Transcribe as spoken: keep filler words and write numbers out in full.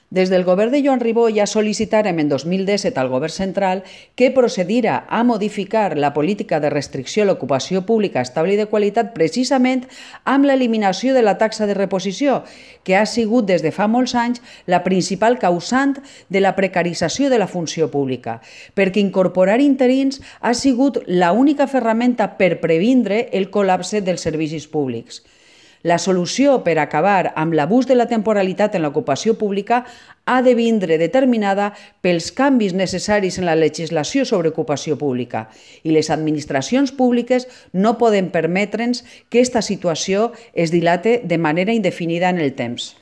Des del govern de Joan Ribó ja sol·licitarem en dos mil disset al govern central que procedirà a modificar la política de restricció a l'ocupació pública estable i de qualitat precisament amb l'eliminació de la taxa de reposició, que ha sigut des de fa molts anys la principal causant de la precarització de la funció pública, perquè incorporar interins ha sigut l'única ferramenta per previndre el col·lapse dels servicis públics. La solució per acabar amb l'abús de la temporalitat en l'ocupació pública ha de vindre determinada pels canvis necessaris en la legislació sobre ocupació pública i les administracions públiques no poden permetre'ns que aquesta situació es dilate de manera indefinida en el temps.